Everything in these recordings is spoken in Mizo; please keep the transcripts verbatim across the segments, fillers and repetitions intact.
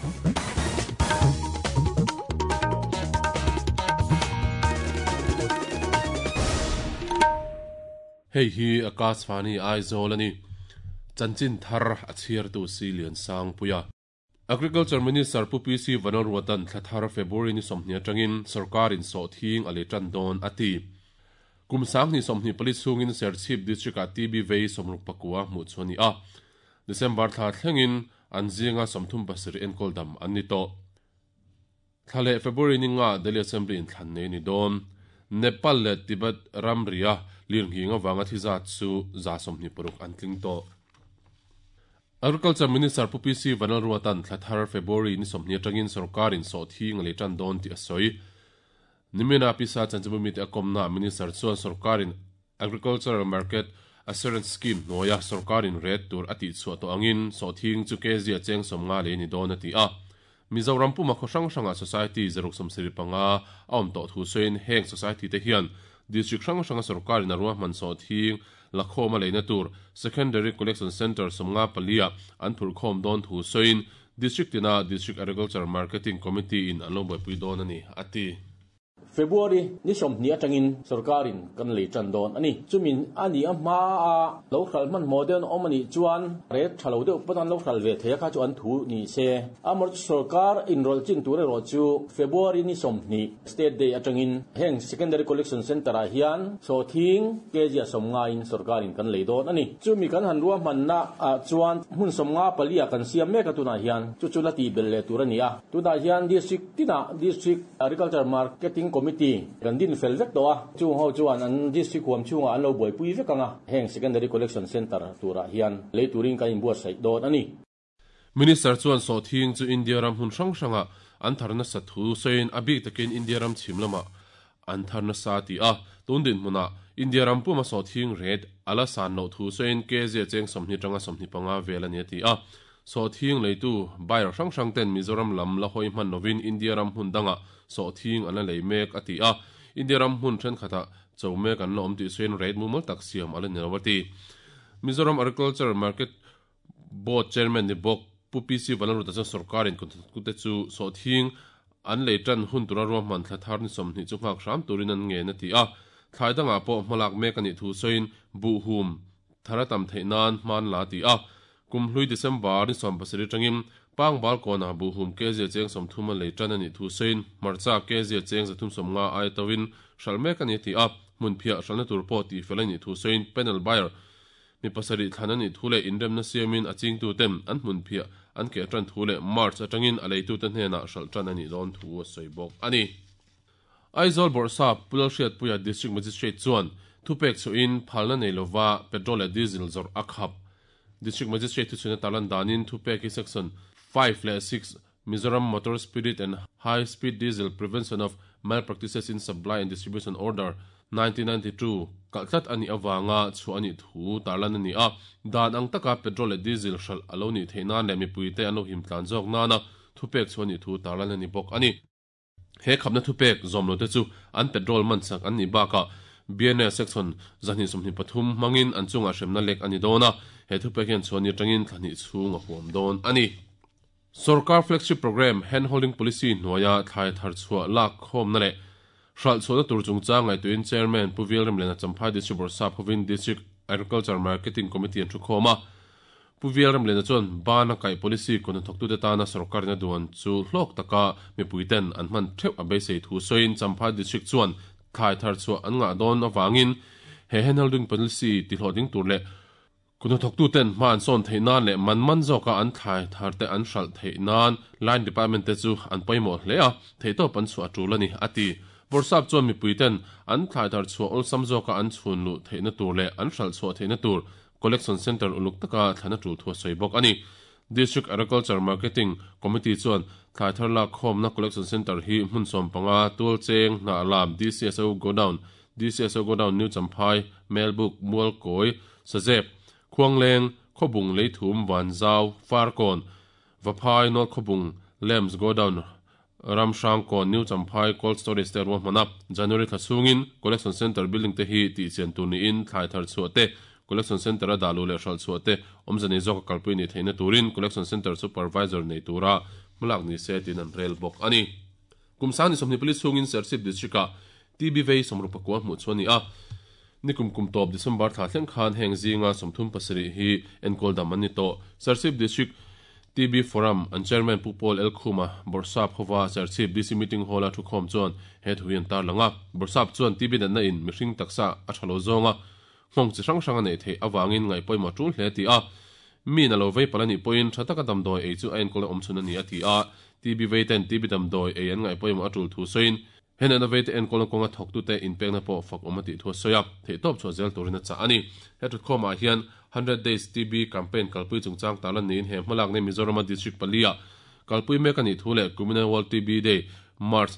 Hei hi Akashvani Aizawl ani chanchin thar a chhiar tu si lian sang puia Agriculture Minister Pu P C Vanlalruatan thlathar February ni sawmhnih atangin sarkarin sawhthing a lei tan dawn ati kum sang ni sawmhnih pali chungin Serchhip district a T B vei sawmruk pakua hmuh chu ani a December thla thlengin an zinga sawmthum pasarih enkawl dam an ni tawh thlale February ni nga Delhi Assembly in thlan nei ni dawn Nepal le Tibet ramria lirnghing awanga thizat chu za sawmhnih paruk an tling tawh Agriculture Minister Pu P C Vanlalruatan thlathar February ni sawmhnih atangin sarkarin sawhthing a lei tan dawn tih a sawi Nimina pisa chanchimumi te a kawmna Minister chuan sarkarin Agricultural Market Assurance Scheme hnuaia sarkarin ret tur a tih chhuah tawh angin sawhthing chu kg a cheng sawmnga lei ni dawn a ti a Mizoram puma khaw hrang hranga society zaruk sawmsarih panga a awm tawh thu sawiin heng society te hian district hrang hranga sarkarin a ruahman sawhthing lakhawm a leina tur Secondary Collection Center sawmnga palia an phurkhawm dawn thu sawiin district tina District Agriculture Marketing Committee in an lo buaipui dawn ani ati February ni sawmhnih atangin sarkarin kan lei tan dawn ani chumin ani a hma a lo khal man modern awm ani chuan ret thalo deuh pawn lo khal ve theia kha chu an thu ni se amor sarkar enroll chin tur ro chu February ni sawmhnih state day atangin heng secondary collection center a hian so thing kg sawmnga in sarkarin kan lei dawn ani chumi kan han ruah man na a chuan hmun sawmnga palia kan siam mek atuna hian chu chu la ti bel le tur ani a tuna hian district tina district agriculture marketing committee kan din fel vek to a chu ho chuan an district huam chunga an lo buaipui vek anga heng secondary collection center tura hian lei turin kan inbuat sai dawn ani Minister chuan sawhthing chu India ram hun hrang hranga an tharna sa thu sawiin a bik takin India ram chhim lama an tharna sa ti a tun din hmuna India ram puma sawhthing ret ala san lo thu sawiin kg cheng sawmhnih tanga sawmhnih panga vel ani ti a sawhthing leitu buyer hrang hrang ten Mizoram lam la hoi hman lovin India ram hun danga sawhthing an la lei mek ati a India ram hun then khata chawmek an la awm tih sawiin rate mumal tak siam ala ni lo ati Mizoram Agriculture Market Board Chairman ni bawk Pu P C Vanlalruata chuan sarkarin te chu sawhthing an lei tan hun tura ruahman thlathar ni sawmhnih chu nghak hram turin an ngen ati a thlai dangah pawh hmalak mek ani thu sawiin buhhum thara tam theih nan hman la ti a kumhlui December ni sawm pasarih tangin pangbal kona buhum kg cheng sawmthum a lei tan ani thu sawiin hmarcha kg cheng zathum sawmnga ai tawin hral mek ani ti a hmun phiah hralna tur pawh tih fel ani thu sawiin panel buyer mi pasarih thlan ani thu leh inremna siamin a chingtu ten an hmun phiah an ke tan thu leh March atangin a leitu te hnenah hral tan ani dawn thu a sawi bawk ani Aizawl Bawrhsap Pulal Hriatpuia District Magistrate chuan thupek chuin phalna nei lova petrol leh diesel zawrh a khap District Magistrate thu chuna talan danin thupek hi section five leh six Mizoram Motor Spirit and High Speed Diesel Prevention of Malpractices in Supply and Distribution Order nineteen ninety-two kaltlat ani awanga chu ani thu tarlan ani a dan ang taka petrol leh diesel hral alo ni theina leh mipuite an lo him tlan zawk nana thupek chu ani thu tarlan ani bawk ani he khapna thupek zawm lo te chu an petrol man sak an ni baka B N S section zahnih sawmhnih pathum hmangin an chunga hremna lek ani dawn a he thupek hian chuan ni tangin thlahnih chhung a huam dawn ani Sarkar flagship program hand holding policy hnuaia thlai thar chhuah lak khawmna leh hral chhuahna tur chungchang ngaihtuahin chairman Pu Vilremliana Champhai District Bawrhsap hovin District Agriculture Marketing Committee an thu khawm a Pu Vilremliana chuan bana kaih policy kawn thawktute tana sarkarin a duan chu hlawk taka mipuiten an hman theuh a beisei thu sawiin Champhai District chuan thlai thar chhuah an ngah dawn awangin he hand holding policy ti hlawhtling tur leh Kuna thawktu ten hma an sawn theih nan leh man man zawka an thlai thar te an hral theih nan line department te chu an pawimawh hle a theihtawp an chhuah tul ani ati Bawrhsap chuan mipui ten an thlai thar chhuah awlsam zawka an chhun luh theihna tur leh an hral chhuah theihna tur collection center uluk taka thlana tul thu a sawi bawk ani District Agriculture Marketing Committee chuan thlai thar lak khawmna collection center hi hmun sawm panga tual cheng hna lam D C S O godown D C S O godown New Champhai Melbuk Mualkawi Sazep Khuangleng Khobung Leithum Vanzau Farkawn Vaphai North Khobung Lems Godown Ramhrangkawn New Champhai Cold Storage te ruahmana January thla chhungin Collection Center building te hi tih chian tur niin thlai thar chhuah te Collection Center a dalu leh hral chhuah te awmzani zawk a kalpui ni theihna turin Collection Center Supervisor nei tura hmalak ni se tin an rel bawk ani. Kum sang ni sawmhnih pali chhungin Serchhip district ah T B vei sawmruk pakua hmuh chu ani a. Nikum kum tawp December thla thleng khan heng zinga sawmthum pasarih hi enkawl dam an ni tawh. Serchhip district T B Forum an chairman Pu Paul L Khuma Borsap hova Serchhip D C meeting hall a thukhawm chuan he thu hi an tar langa. Borsap chuan T B natna in mihring taksa a thalo zawnga nghawng chi hrang hrang a nei theih awangin ngaih pawimawh tul hle ti a. Mi na lo vei palani pawhin tha taka damdawi ei chu a enkawl a awm chhun ani a ti a. T B vei ten T B damdawi ei an ngaih pawimawh a tul thu sawiin hen an vei te enkawl na kawnga thawk tu te inpekna pawh fak awm a tih thu a sawi a. Theih tawp chhuah zel turin a chah ani. He thutkhawmah hian hundred days T B campaign kalpui chungchang tarlan niin he hmalak nei Mizoram district palia kalpui mek ani thu leh Kumina World T B Day March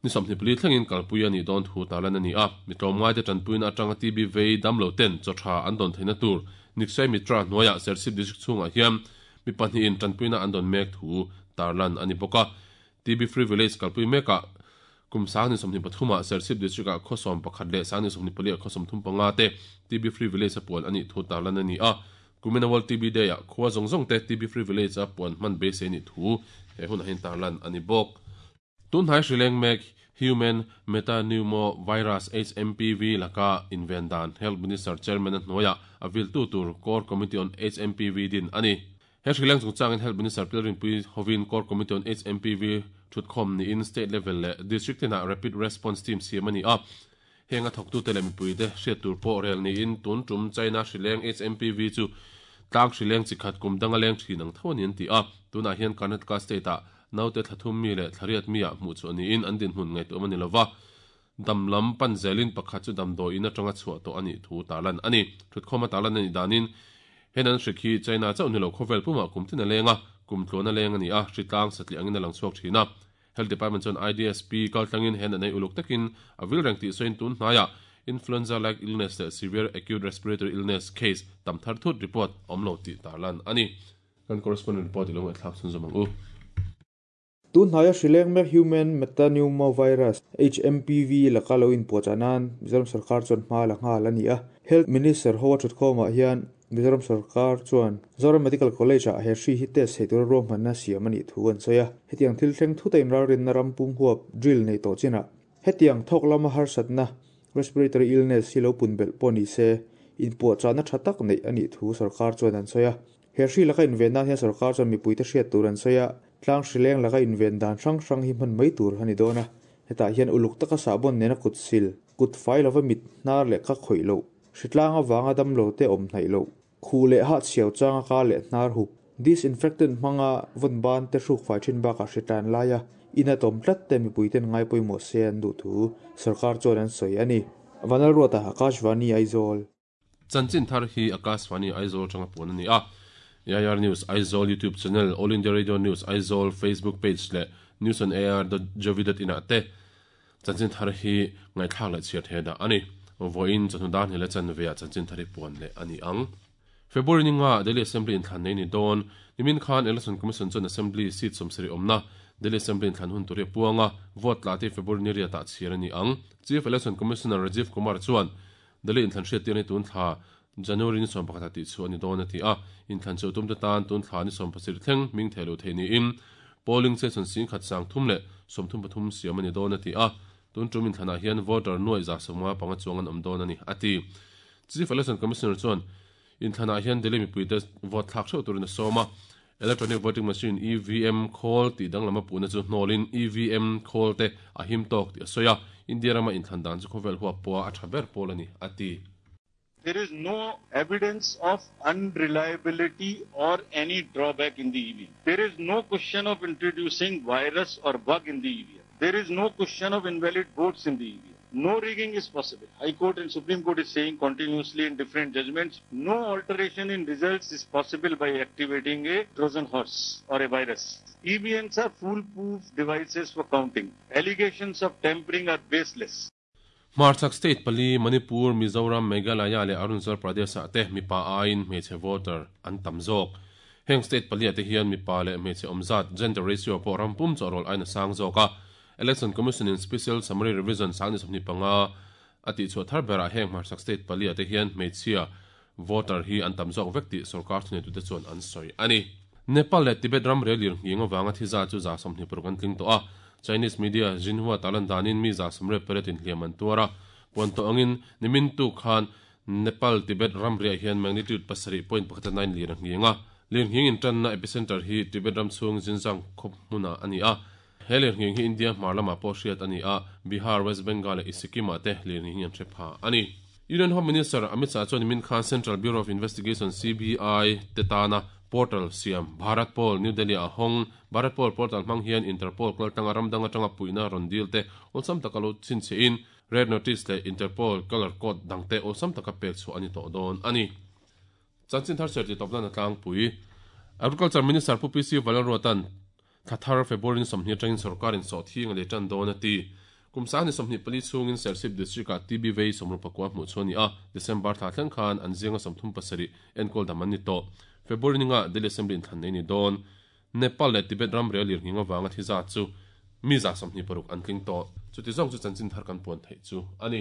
ni sawmhnih pali thlengin kalpui ani dawn thu tarlan ani a. Mi tlawmngai te tanpuina atanga T B vei damlo ten chaw tha an dawn theihna tur Nikshay Mitra hnuaiah Serchhip district chhungah hian mi pahnihin tanpuina an dawn mek thu tarlan ani bawk a. T B Free Village kalpui mekah kum sang ni sawmhnih pathumah Serchhip district ah khawsawm pakhat leh sang ni sawmhnih pali ah khawsawm thum panga te T B Free Village a puan ani thu tarlan ani a. Kumina World T B Day ah khua zawng zawng te T B Free Village a puan hman beisei ni thu he hun ah hian tarlan ani bawk. Tunhnai hrileng mek Human Metapneumovirus H M P V laka inven dan Health Minister Chairman a hnuaiah a viltu tur Core Committee on H M P V din ani. He hrileng chungchangin Health Minister Pilrinpui hovin Core Committee on H M P V thutkhawm niin state level leh district tinah rapid response team siam ani a. Heng a thawktu te leh mipui te hriat tur pawh rel niin tun tum China hrileng H M P V chu tlang hrileng chikhat kum danga leng thin ang tho ani an ti a. Tunah hian Karnataka state ah naute thlathum mi leh thlariat mi ah hmuh chu aniin an dinhmun ngaihtuah ani lova. Damlam pan zelin pakhat chu damdawi in atanga chhuah tawh ani thu tarlan ani. Thutkhawm a tarlan ani danin hen an hrikhi China chauh ni lo khawvel pumah kum tin a lenga kum tluan a leng ani a. Hritlang satli angin a lang chhuak thin a. Health Department chuan I D S P kaltlangin hen an ei uluk takin a vil reng tih sawiin tun hnaiah influenza like illness leh severe acute respiratory illness case tam thar thut report awm lo tih tarlan ani. Kan correspondent report ilo ngai thlak chhun zawm ang u. Tunhnai a hrileng mek Human Metapneumovirus H M P V laka lo inpuahchah Mizoram sarkar chuan hma la nghal ani a. Health Minister ho a thutkhawmah hian Mizoram sarkar chuan Zoram Medical College ah he hri hi test thei tura ruahmanna siam ani thu an sawi a. Hetiang thil thleng thuta inralrinna ram pum huap drill nei tawh chinah hetiang thawk lama harsatna respiratory illness hi lo pun belh pawh ni se inpuahchahna tha tak nei ani thu sarkar chuan an sawi a. He hri laka invenna hian sarkar chuan mipui te hriat tur an sawi a. Tlang hrileng laka inven dan hrang hrang hi hman mai tur ani dawn a. Hetah hian uluk taka sahbawn nena kut sil kut fai lova mit hnar leh ka khawih loh hritlanga wanga damlo te awm hnaih loh khu leh ha chhiau changa ka leh hnar hup disinfectant hmanga vawn ban te hruk fai thin bakah hritlan laia ina tawm tlat te mipui ten ngai pawimawh se an duh thu sarkar chuan an sawi ani. Vanal Ruata Akashvani Aizawl. Chanchin thar hi Akashvani Aizawl tanga puan ani a. A I R News Aizawl YouTube channel, All India Radio News Aizawl Facebook page leh news on A R dot gov dot in ah te chanchin thar hi ngaithlak leh chhiar the dah ani. Voin chawhnu dan hi le chan veah chanchin thar hi puan leh ani ang. February ninga Delhi Assembly inthlan nei ni dawn. Nimin khan Election Commission chuan Assembly seat sawmsarih awmna Delhi Assembly inthlan hun tur hi a puanga vote tla te February ni riatah chhiar ani ang. Chief Election Commissioner Rajiv Kumar chuan Delhi inthlan hriat tir ni tun thla January ni sawm pakhat ah tih chu ani dawn a ti a. Inthlan chu tum te tan tun thla ni sawm pasarih thleng ming thei lo thei niin polling station sing khat sang thum leh sawmthum pathum siam ani dawn a ti a. Tun tum inthlanah hian voter nuai za sawmnga panga chuang an awm dawn ani a ti. Chief Election Commissioner chuan inthlanah hian Delhi mipui te vote thlak theuh turin a sawm a. Electronic Voting Machine E V M khawl tih danglama puhna chu hnawlin E V M khawl te a him tawk tih a sawi a. India rama inthlan dan chu khawvel huap pawha a tha ber pawl ani a ti. There is no evidence of unreliability or any drawback in the E V M. There is no question of introducing virus or bug in the E V M. There is no question of invalid votes in the E V M. No rigging is possible. High Court and Supreme Court is saying continuously in different judgments, no alteration in results is possible by activating a Trojan horse or a virus. E V Ms are foolproof devices for counting. Allegations of tampering are baseless. Hmarchhak state pali Manipur, Mizoram, Meghalaya leh Arunachal Pradesh ah te mipa aiin hmeichhe voter an tam zawk. Heng state pali ah te hian mipa leh hmeichhe awmzat gender ratio pawh ram pum chaw rawl ain a sang zawk a. Election Commission in Special Summary Revision sang ni sawmhnih panga a tih chhuah thar berah heng hmarchhak state pali ah te hian hmeichhia voter hi an tam zawk vek tih sarkar thunei tute chuan an sawi ani. Nepal le Tibet ram rel lir nginga wanga thiza chu za somni progan tling to a Chinese media Xinhua talan danin mi za somre peretin hliaman tuara ponto angin nimin tu khan Nepal Tibet ram ria hian magnitude pasari point pakhat nine lir nginga lir nging in tan na epicenter hi Tibet ram chung Xinjiang khop hmuna ani a heler nging hi India marlama po hriat ani a Bihar West Bengal le Sikkim te lir nging an threpa ani Union Home Minister Amit Shah chuan min khan Central Bureau of Investigation C B I tetana portal siam Bharat Pol New Delhi a hong Bharat Pol portal hmang hian Interpol kaltanga ramdanga tanga puina rondil te olsam takalo chin che in red notice le Interpol color code dangte olsam taka pek chu ani to don ani chanchin thar serti topna na tlang pui Agriculture Minister Pu P C Valalrotan thathar February somni tangin sarkarin so thing le tan don ati kumsa ni somni pali chungin Serchhip district a T B vei somru pakwa mu choni a December tha thleng khan anzinga somthum pasari enkol daman ni to February ninga Delhi Assembly in than nei ni don Nepal le Tibet ram rel lir nginga wanga thiza chu mi za somni paruk an tling to chuti zong chu chanchin thar kan pon thei chu ani.